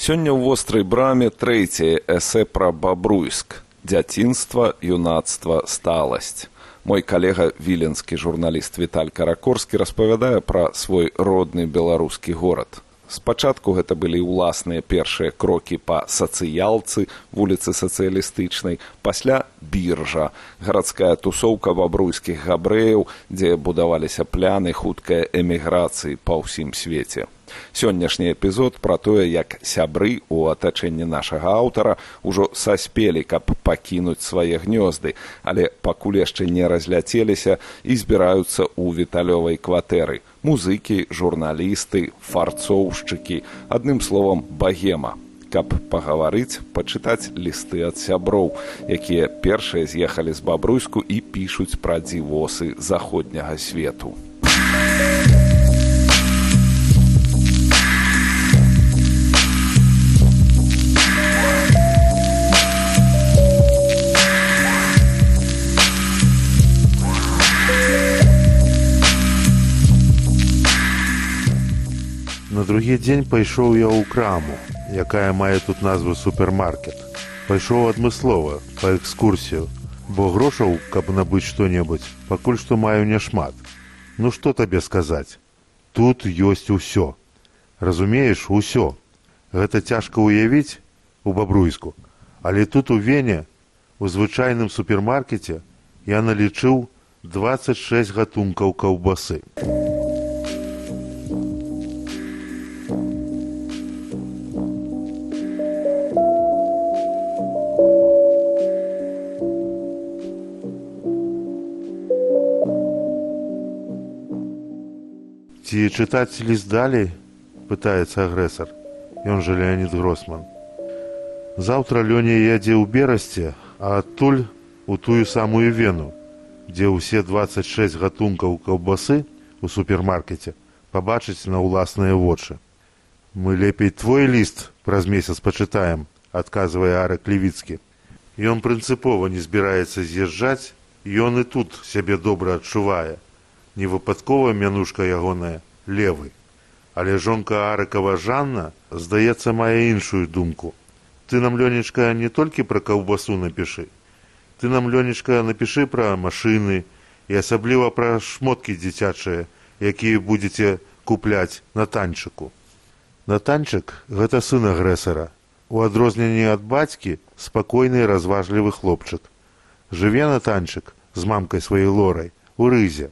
Сёння ў вострай браме трэцяе эсэ пра Бабруйск. Дзяцінства, юнацтва, сталасць. Мой калега, віленскі журналіст Віталь Каракорскі распавядае пра свой родны беларускі горад. Спачатку гэта былі ўласныя першыя крокі па сацыялцы, вуліцы сацыялістычнай, пасля біржа, гарадская тусоўка бабруйскіх габрэяў, дзе будаваліся пляны хуткай эміграцыі па ўсім свеце. Сённяшні эпізод пра тое, як сябры ў атачэнні нашага аўтара ўжо саспелі, каб пакінуць свае гнёзды, але пакуль яшчэ не разляцеліся і збіраюцца ў віталёвай кватэры. Музыкі, журналісты, фарцоўшчыкі, адным словам, багема. Каб пагаварыць, пачытаць лісты ад сяброў, якія першыя з'ехалі з Бабруйску і пішуць пра дзівосы заходняга свету. На другі дзень пайшоў я ў краму, якая мае тут назву супермаркет. Пайшоў адмыслова, па экскурсію, бо грошаў, каб набыць што-небудзь, пакуль што маю няшмат. Ну што табе сказаць? Тут ёсць усё. Разумееш, усё. Гэта цяжка ўявіць у Бабруйску, але тут у Вене, у звычайным супермаркеце, я налічыў 26 гатункаў каўбасы. Ці чытаць ліст далей? Пытаецца агрэсар. Ён жа Леонід Гросман. Заўтра Лёня ядзе ў Берасце, а адтуль у тую самую Вену, дзе ўсе 26 гатункаў каўбасы у супермаркеце пабачыць на ўласныя вочы. Мы лепей твой ліст праз месяц пачытаем, адказвае Арак Левіцкі. Ён прынцыпова не збіраецца з'язджаць, ён і тут сябе добра адчувае. Невыпадкова мянушка ягоная Левы. Але жонка Арыкава Жанна, здаецца, мае іншую думку. Ты нам, Лёнечка, не толькі пра каўбасу напішы. Ты нам, Лёнечка, напішы пра машыны і асабліва пра шмоткі дзіцячыя, якія будзеце купляць на танчыку. Натанчык – гэта сын агрэсара. У адрозненні ад бацькі спакойны і разважлівы хлопчык. Жыве Натанчык з мамкай сваёй Лорай у Рызе.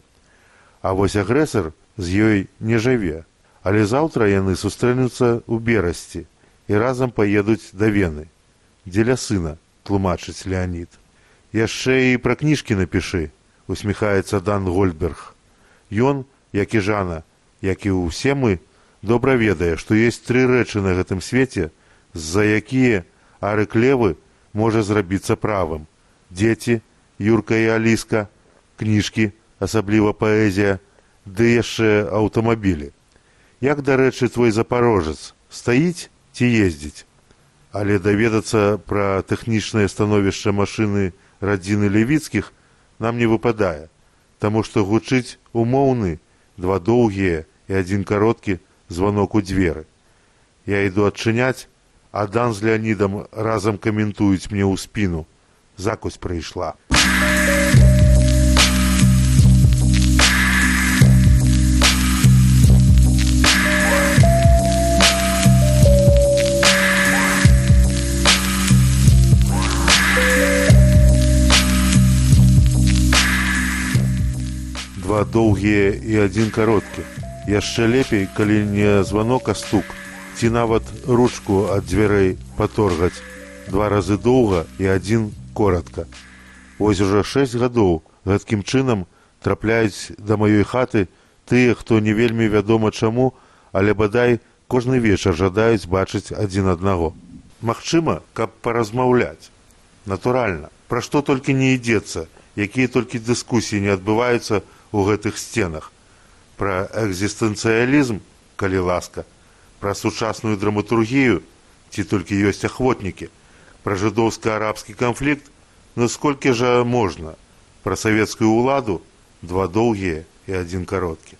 А вось агрэсар з ёй не жыве, але заўтра яны сустрэнуцца ў Берасці і разам паедуць да Вены. Дзеля сына, тлумачыць Леонід. Яшчэ і пра кніжкі напішы, усміхаецца Дан Гольдберг. Ён, як і Жана, як і ўсе мы, добра ведае, што ёсць 3 рэчы на гэтым свеце, з-за якія Арык Левы можа зрабіцца правым. Дзеці, Юрка і Аліска, кніжкі, асабліва паэзія, ды яшчэ аўтамабілі. Як, дарэчы, твой запарожец, стаіць ці ездзіць? Але даведацца пра тэхнічнае становішча машыны радзіны Левіцкіх нам не выпадае, таму што гучыць умоўны, 2 доўгія і 1 кароткі званок у дзверы. Я іду адчыняць, а Дан з Леонідам разам каментуюць мне ў спіну. Закусь прыйшла. Два доўгія і 1 кароткі. Яшчэ лепей, калі не званок, а стук. Ці нават ручку ад дзвярэй паторгаць. 2 разы доўга і 1 коротка. Вось ужо 6 гадоў гэткім чынам трапляюць да маёй хаты тыя, хто не вельмі вядома чаму, але бадай кожны вечар жадаюць бачыць адзін аднаго. Магчыма, каб паразмаўляць. Натуральна, пра што толькі не ідзецца, якія толькі дыскусіі не адбываюцца у гэтых сценах. Пра экзістэнцыялізм, калі ласка, пра сучасную драматургію, ці толькі ёсць ахвотнікі, пра жыдоўска-арабскі канфлікт, ну сколькі жа можна, пра савецкую ўладу, 2 доўгія і 1 кароткі.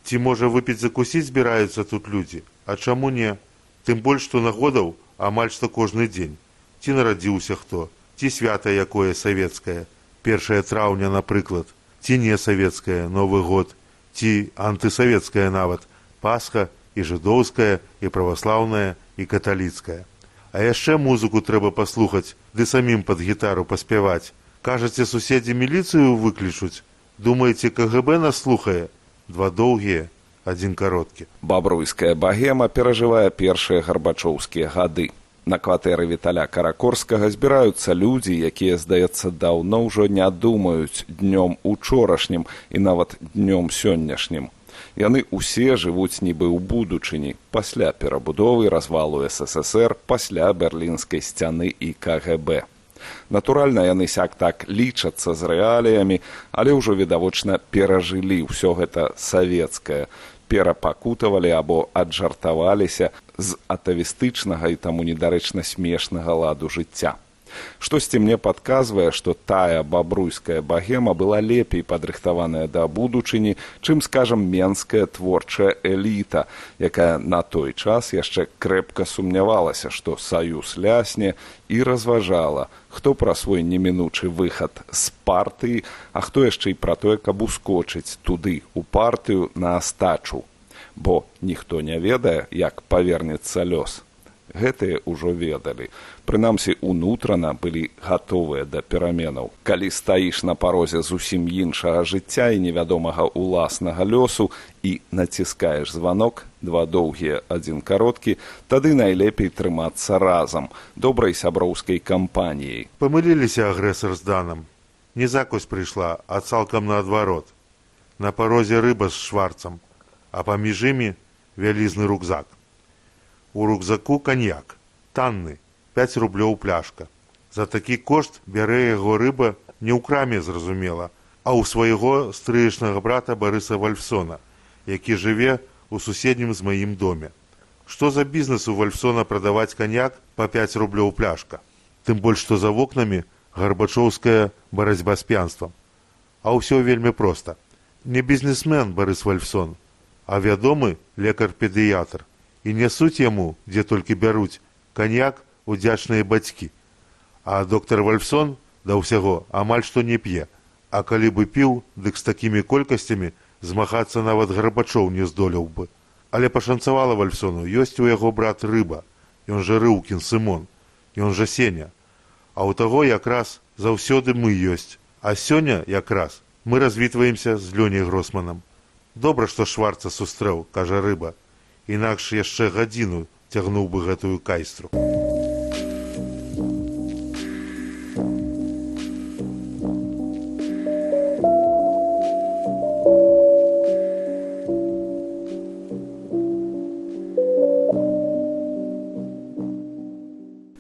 Ці, можа, выпіць закусіць збіраюцца тут людзі, а чаму не? Тым больш, што нагодаў амаль што кожны дзень. Ці нарадзіўся хто, ці свята якое савецкае, 1 траўня, напрыклад, ці не савецкае, Новы год, ці антысавецкае нават, Пасха і жыдоўская, і праваслаўная, і каталіцкая. А яшчэ музыку трэба паслухаць, ды самім пад гітару паспяваць. Кажаце, суседзі міліцыю выклічуць? Думаеце, КГБ нас слухае? 2 доўгія, 1 кароткі. Бабруйская багема перажывае першыя гарбачоўскія гады. На кватэры Віталя Каракорскага збіраюцца людзі, якія, здаецца, даўно ўжо не думаюць днём учорашнім і нават днём сённяшнім. Яны ўсе жывуць нібы ў будучыні, пасля перабудовы развалу СССР, пасля Берлінскай сцяны і КГБ. Натуральна, яны сяк-так лічацца з рэаліямі, але ўжо відавочна перажылі ўсё гэта савецкае, перапакутавалі або аджартаваліся з атавістычнага і таму недарэчна смешнага ладу жыцця. Штосьці мне падказвае, што тая бабруйская багема была лепей падрыхтаваная да будучыні, чым, скажам, менская творчая эліта, якая на той час яшчэ крэпка сумнявалася, што саюз лясне, і разважала, хто пра свой немінучы выхад з партыі, а хто яшчэ і пра тое, каб ускочыць туды, у партыю, на астачу. Бо ніхто не ведае, як павернецца лёс. Гэтыя ўжо ведалі. Прынамсі, унутрана былі гатовыя да пераменаў. Калі стаіш на парозе зусім іншага жыцця і невядомага ўласнага лёсу і націскаеш званок, 2 доўгія, 1 кароткі, тады найлепей трымацца разам, добрай сяброўскай кампаніяй. Памыліліся агрэсар з Данам. Не закусь прыйшла, а цалкам наадварот. На парозе рыба з шварцам, а паміж імі вялізны рюкзак. У рюкзаку каньяк, танны, 5 рублёў пляшка. За такі кошт бярэ яго рыба не ў краме, зразумела, а ў свайго стрыечнага брата Барыса Вальфсона, які жыве ў суседнім з маім доме. Што за бізнес у Вальфсона прадаваць каньяк па 5 рублёў пляшка? Тым больш, што за вокнамі гарбачоўская барацьба з п'янствам. А ўсё вельмі проста. Не бізнесмен Барыс Вальфсон, а вядомы лекар-педыятр. І нясуць яму, дзе толькі бяруць, каньяк удзячныя бацькі. А доктар Вальфсон да ўсяго амаль што не п'е. А калі бы піў, дык з такімі колькасцямі змагацца нават Гарбачоў не здолеў бы. Але пашанцавала Вальфсону, ёсць у яго брат Рыба, ён жа Рыўкін Сымон, ён жа Сеня. А ў таго якраз заўсёды мы ёсць. А сёння якраз мы развітваемся з Лёняй Гросманам. Добра, што Шварца сустрэў, кажа Рыба. Інакш яшчэ гадзіну цягнуў бы гэтую кайстру.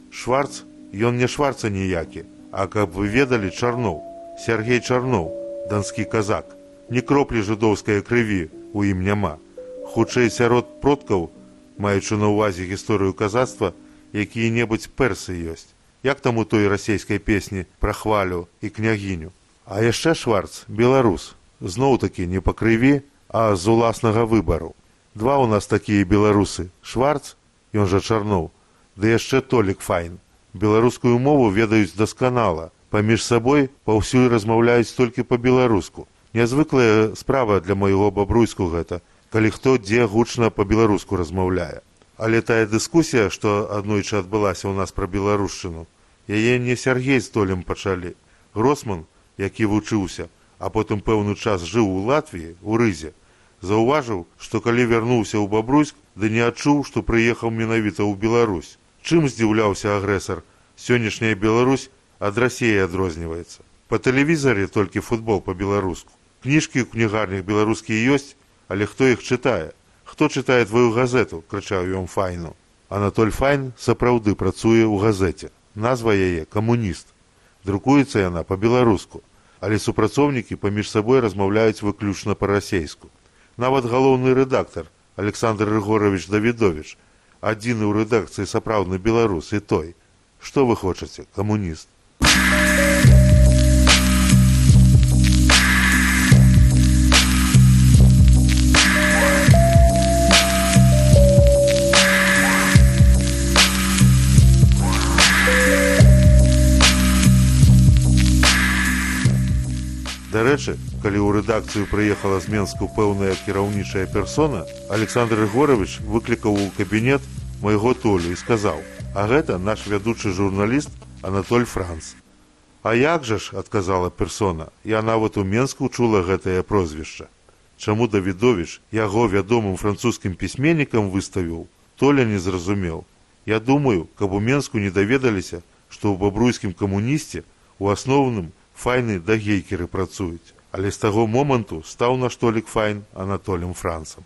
Шварц, ён не Шварца ніякі, а каб вы ведалі, Чарноў, Сяргей Чарноў, данскі казак. Ні кроплі жыдоўскай крыві у ім няма. Хутчэй сярод продкаў, маючы на ўвазе гісторыю казацтва, якія-небудзь персы ёсць. Як там у той расейскай песні пра хвалю і княгіню. А яшчэ Шварц, беларус. Зноў-такі не па крыві, а з уласнага выбару. 2 у нас такія беларусы. Шварц, ён жа Чарноў, ды яшчэ Толік Файн. Беларускую мову ведаюць дасканала. Паміж сабой паўсюль размаўляюць толькі па-беларуску. Нязвыклая справа для майго бабруйску гэта, калі хто дзе гучна па-беларуску размаўляе. Але тая дыскусія, што аднойчы адбылася ў нас пра беларушчыну, яе не Сяргей з Толем пачалі. Гросман, які вучыўся, а потым пэўны час жыў у Латвіі, у Рызе, заўважыў, што калі вярнуўся ў Бабруйск, ды не адчуў, што прыехаў менавіта ў Беларусь. Чым здзіўляўся агрэсар? Сённяшняя Беларусь ад Расіі адрозніваецца. Па тэлевізары толькі футбол па-беларуску. Кніжкі ў кнігарнях беларускія ёсць, але хто іх чытае? Хто чытае твою газету? Крычаў ён Файну. Анатоль Файн сапраўды працуе ў газеце. Назва яе «Камуніст». Друкуецца яна па-беларуску, але супрацоўнікі паміж сабой размаўляюць выключна па-расейску. Нават галоўны рэдактар Александр Рыгорович Давідовіч, адзіны ў рэдакцыі сапраўдны беларус, і той. Што вы хочаце, камуніст? Дарэчы, калі ў рэдакцыю прыехала з Менску пэўная кіраўнічая персона, Александр Григорович выклікаў у кабінет майго Толю і сказаў: «А гэта наш вядучы журналіст Анатоль Франц». «А як жа ж», адказала персона, «я нават у Менску чула гэтае прозвішча». Чаму Давідовіч яго вядомым французскім пісьменнікам выставіў, Толя не зразумеў. Я думаю, каб у Менску не даведаліся, што ў бабруйскім камунісце у асноўным файны да гейкеры працуюць. Але з таго моманту стаў наш Толік Файн Анатолем Францам.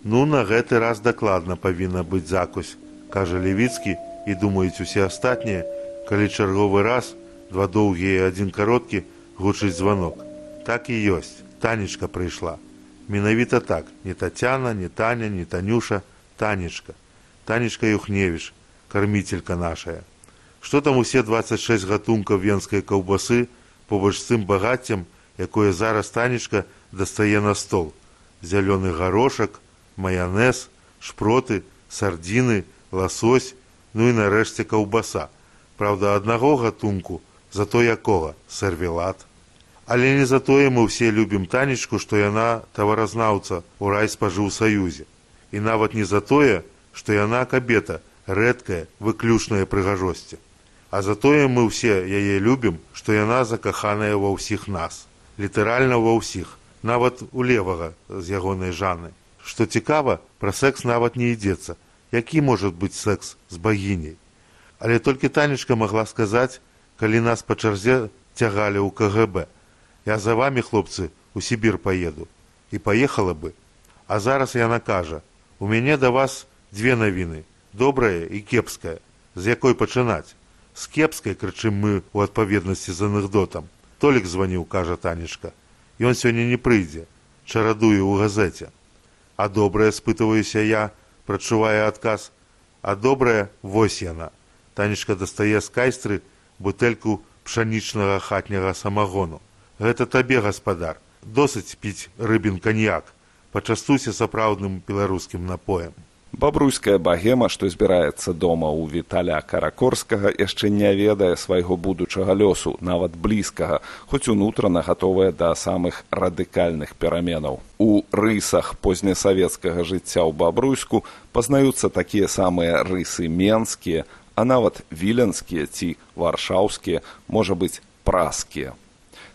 Ну, на гэты раз дакладна павінна быць закусь, кажа Левіцкі, і думаюць усе астатнія, калі чарговы раз, два доўгія і адзін кароткі, гучыць званок. Так і ёсць, Танечка прыйшла. Менавіта так, не Татяна, не Таня, не Танюша, Танечка. Танечка Юхневіч, карміцелька нашая. Што там усе 26 гатункаў венскай каўбасы побач з тым багаццем, якое зараз Танечка дастае на стол. Зялёны гарошак, маянез, шпроты, сардзіны, ласось, ну і нарэшце каўбаса. Праўда, аднаго гатунку, зато якога? Сервелат. Але не за тое мы ўсе любім Танечку, што яна таваразнаўца ў райспажыўсаюзе. І нават не за тое, што яна кабета, рэдкая, выключная прыгажосці. А за тое мы ўсе яе любім, што яна закаханая ва ўсіх нас. Літаральна ва ўсіх, нават у левага з ягонай Жанны. Што цікава, пра секс нават не ідзецца. Які можа быць секс з багіняй? Але толькі Танечка магла сказаць, калі нас па чарзе цягалі ў КГБ. Я за вамі, хлопцы, у Сібір паеду. І паехала бы. А зараз яна кажа: у мяне да вас две навіны, добрая і кепская. З якой пачынаць? З кепскай, крычым мы ў адпаведнасці з анекдотам. Толік званіў, кажа Танечка. Ён сёння не прыйдзе, чарадуе ў газеце. А добрая, спытваюся я, прачувае адказ. А добрая, вось яна. Танечка дастае з кайстры бутэльку пшанічнага хатняга самагону. Гэта табе, гаспадар. Досыць піць рыбін каньяк. Пачастуйся сапраўдным беларускім напоем. Бабруйская багема, што збіраецца дома ў Віталя Каракорскага, яшчэ не ведае свайго будучага лёсу, нават блізкага, хоць унутрана гатовая да самых радыкальных пераменаў. У рысах познясавецкага жыцця ў Бабруйску пазнаюцца такія самыя рысы менскія, а нават віленскія ці варшаўскія, можа быць, праскія.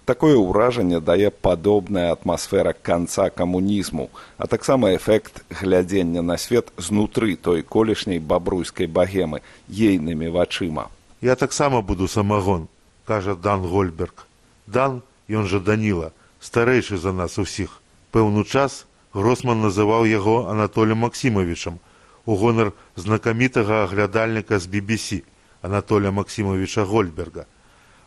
Такое ўражанне дае падобная атмасфера канца камунізму, а таксама эфект глядзення на свет знутры той колішняй бабруйскай багемы, ейнымі вачыма. Я таксама буду самагон, кажа Дан Гольберг. Дан, ён жа Даніла, старэйшы за нас усіх. Пэўны час Гросман называў яго Анатолем Максімовичам у гонар знакамітага аглядальніка з BBC Анатоля Максімовича Гольберга.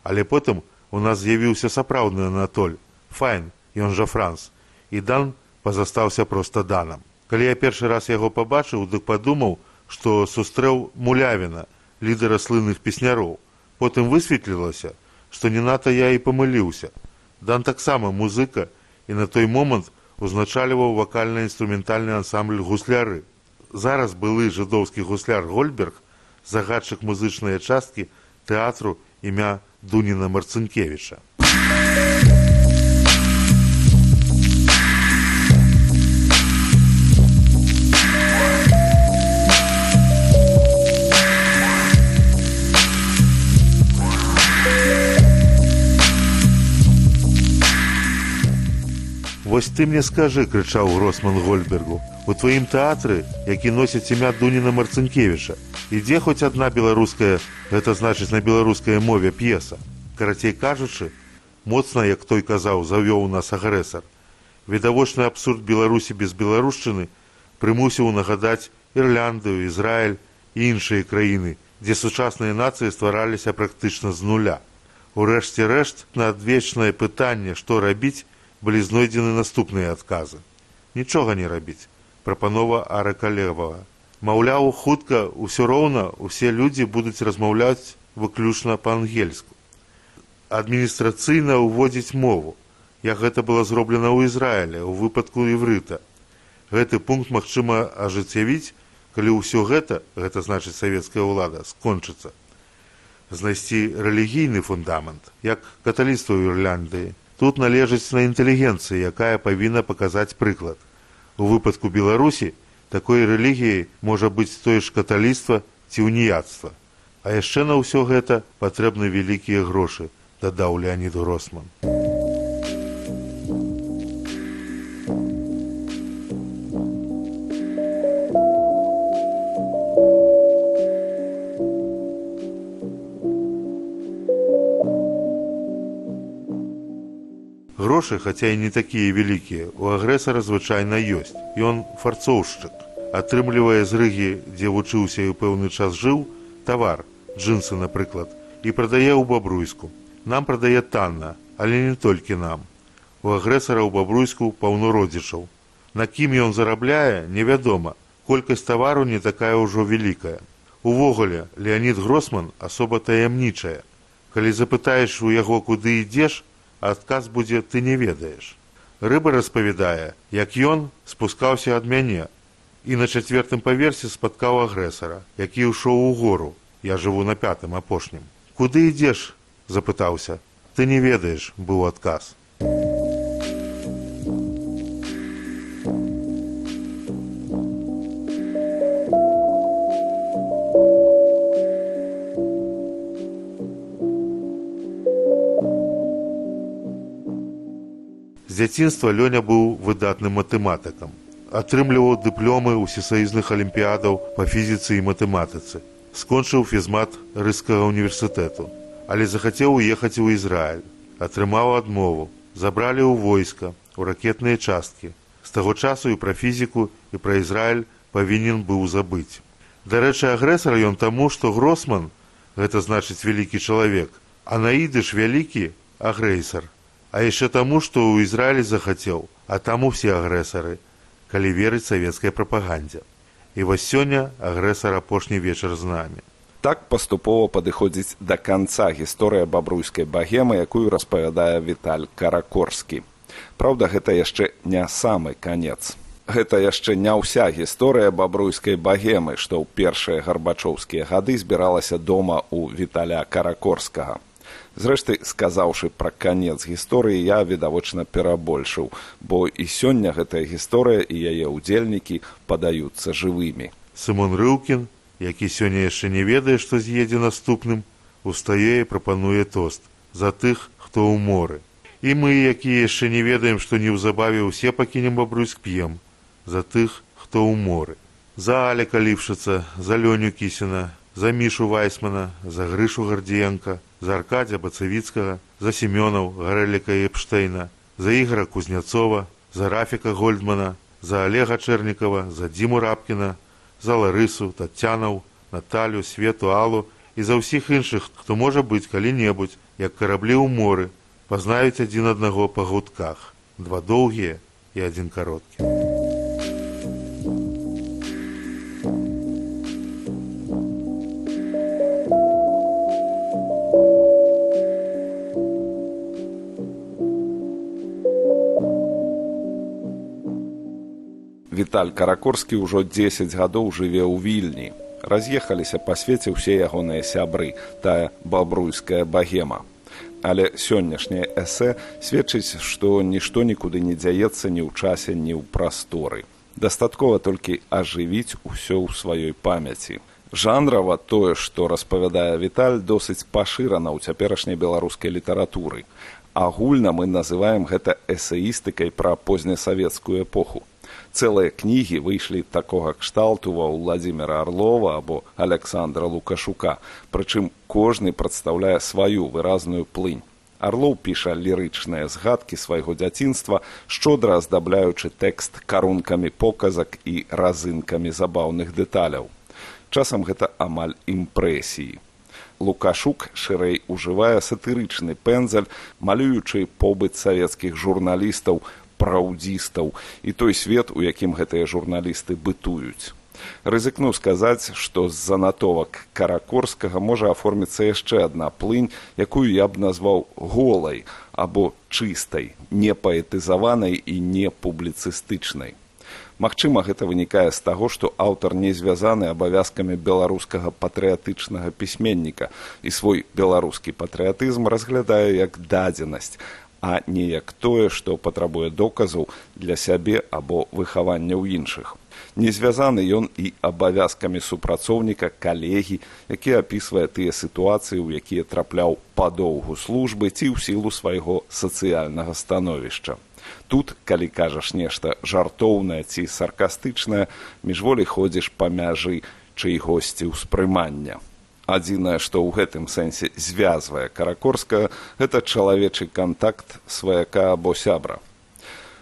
Але потым у нас з'явіўся сапраўдны Анатоль, Файн, ён жа Франц, і Дан пазастаўся проста Данам. Калі я першы раз яго пабачыў, дык падумаў, што сустрэў Мулявіна, лідара слынных песняроў. Потым высветлілася, што не надта я і памыліўся. Дан таксама музыка і на той момант узначальваў вакальна-інструментальны ансамбль гусляры. Зараз былы жыдоўскі гусляр Гольберг, загадчык музычнай часткі тэатру імя Дуніна Марцынкевіча. «Вось ты мне скажы», – крычаў Гросман Гольбергу, – «у тваім тэатры, які носіць імя Дуніна Марцынкевіча, ідзе хоць адна беларуская, гэта значыць на беларускай мове, п'еса. Карацей кажучы, моцна, як той казаў, завёў нас агрэсар. Відавочны абсурд Беларусі без беларушчыны прымусіў нагадаць Ірландыю, Ізраіль і іншыя краіны, дзе сучасныя нацыі ствараліся практычна з нуля. Урэшце рэшт, на адвечнае пытанне, што рабіць, былі знойдзены наступныя адказы. Нічога не рабіць. Прапанова Арыка Левага. Маўляў, хутка, усё роўна, усе людзі будуць размаўляць выключна па-ангельску. Адміністрацыйна ўводзіць мову. як гэта было зроблена ў Ізраілі ў выпадку іврыта. Гэты пункт магчыма ажыццявіць, калі ўсё гэта значыць савецкая ўлада, скончыцца. Знайсці рэлігійны фундамент, як каталіцтва ў Ірландыі, тут належыць на інтэлігенцыі, якая павінна паказаць прыклад. У выпадку Беларусі такой рэлігіяй можа быць тое ж каталіцтва ці уніяцтва. А яшчэ на ўсё гэта патрэбны вялікія грошы, дадаў Леанід Гросман. Грошы, хаця і не такія вялікія, у агрэсара звычайна ёсць. Ён фарцоўшчык. Атрымлівае з Рыгі, дзе вучыўся і ў пэўны час жыў, тавар, джинсы, напрыклад, і прадае ў Бабруйску. Нам прадае танна, але не толькі нам. У агрэсара ў Бабруйску паўно родзічаў. На кім ён зарабляе, невядома. Колькасць тавару не такая ўжо вялікая. Увогуле, Леанід Гросман асоба таямнічая. Калі запытаеш у яго, куды ідзеш, адказ будзе «ты не ведаеш». Рыба распавядае, як ён спускаўся ад мяне і на 4-м паверсе спаткаў агрэсара, які ўшоў у гору. Я жыву на 5-м, апошнім. «Куды ідзеш?» – запытаўся. «Ты не ведаеш», – быў адказ. З дзяцінства Лёня быў выдатным матэматыкам. Атрымліваў дыпломы ўсесаюзных алімпіядаў па фізіцы і матэматыцы. Скончыў фізмат Рыжскага універсітэту, але захацеў уехаць у Ізраіль. Атрымаў адмову. Забралі ў войска, у ракетныя часткі. З таго часу і пра фізіку, і пра Ізраіль павінен быў забыць. Дарэчы, агрэсар ён таму, што Гросман, гэта значыць вялікі чалавек, а на ідыш вялікі агрэсар. А яшчэ таму, што ў Ізраілі захацеў, а там усе агрэсары, калі верыць савецкай прапагандзе. І вось сёння агрэсар апошні вечар з намі. Так паступова падыходзіць да канца гісторыя бабруйскай багемы, якую распавядае Віталь Каракорскі. Праўда, гэта яшчэ не самы канец. Гэта яшчэ не ўся гісторыя бабруйскай багемы, што ў першыя гарбачоўскія гады збіралася дома ў Віталя Каракорскага. Зрэшты, сказаўшы пра канец гісторыі, я відавочна перабольшыў, бо і сёння гэтая гісторыя і яе ўдзельнікі падаюцца жывымі. Сымон Рыўкін, які сёння яшчэ не ведае, што з'едзе наступным, устае і прапануе тост за тых, хто ў моры. І мы, якія яшчэ не ведаем, што неўзабаве ўсе пакінем Бабруйск, п'ем за тых, хто ў моры. За Аляка Ліпшыца, за Лёню Кісіна, за Мішу Вайсмана, за Грышу Гардзіенка, за Аркадзя Бацавіцкага, за Семёнаў, Гарэліка і Эпштейна, за Ігора Кузняцова, за Рафіка Гольдмана, за Олега Чэрнікава, за Дзіму Рабкіна, за Ларысу, Таццянаў, Наталю, Свету, Аллу і за ўсіх іншых, хто можа быць калі-небудзь, як караблі ў моры, пазнаюць адзін аднаго па гудках, 2 доўгія і 1 кароткі. Віталь Каракорскі ўжо 10 гадоў жыве ў Вільні. Раз'ехаліся па свеце ўсе ягоныя сябры, тая бабруйская багема. Але сённяшняе эсэ сведчыць, што нішто нікуды не дзяецца ні ў часе, ні ў прасторы. Дастаткова толькі ажывіць усё ў сваёй памяці. Жанрава тое, што распавядае Віталь, досыць пашырана ў цяперашняй беларускай літаратуры. Агульна мы называем гэта эсеістыкай пра познясавецкую эпоху. Цэлыя кнігі выйшлі такога кшталту ва Владзіміра Арлова або Аляксандра Лукашука, прычым кожны прадстаўляе сваю выразную плынь. Арлоў піша лірычныя згадкі свайго дзяцінства, шчодра аздабляючы тэкст карункамі показак і разынкамі забаўных дэталяў. Часам гэта амаль імпрэсіі. Лукашук шырэй ужывае сатырычны пэндзаль, малюючы побыт савецкіх журналістаў, праўдзістаў і той свет, у якім гэтыя журналісты бытуюць. Рызыкну сказаць, што з занатовак Каракорскага можа аформіцца яшчэ адна плынь, якую я б назваў голай або чыстай, не паэтызаванай і не публіцыстычнай. Магчыма, гэта вынікае з таго, што аўтар не звязаны абавязкамі беларускага патрыятычнага пісьменніка і свой беларускі патрыятызм разглядае як дадзенасць, а не як тое, што патрабуе доказаў для сябе або выхавання ў іншых. Не звязаны ён і абавязкамі супрацоўніка, калегі, які апісвае тыя сітуацыі, у якія трапляў па доўгу службы ці ў сілу свайго сацыяльнага становішча. Тут, калі кажаш нешта жартоўнае ці саркастычнае, міжволі ходзіш па мяжы чыйгосьці ўспрымання. Адзінае, што ў гэтым сэнсе звязвае Каракорскага, гэта чалавечы кантакт сваяка або сябра.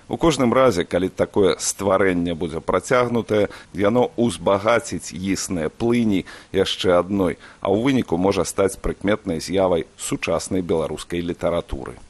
У кожным разе, калі такое стварэнне будзе працягнутае, яно узбагаціць існыя плыні яшчэ адной, а ў выніку можа стаць прыкметнай з'явай сучаснай беларускай літаратуры.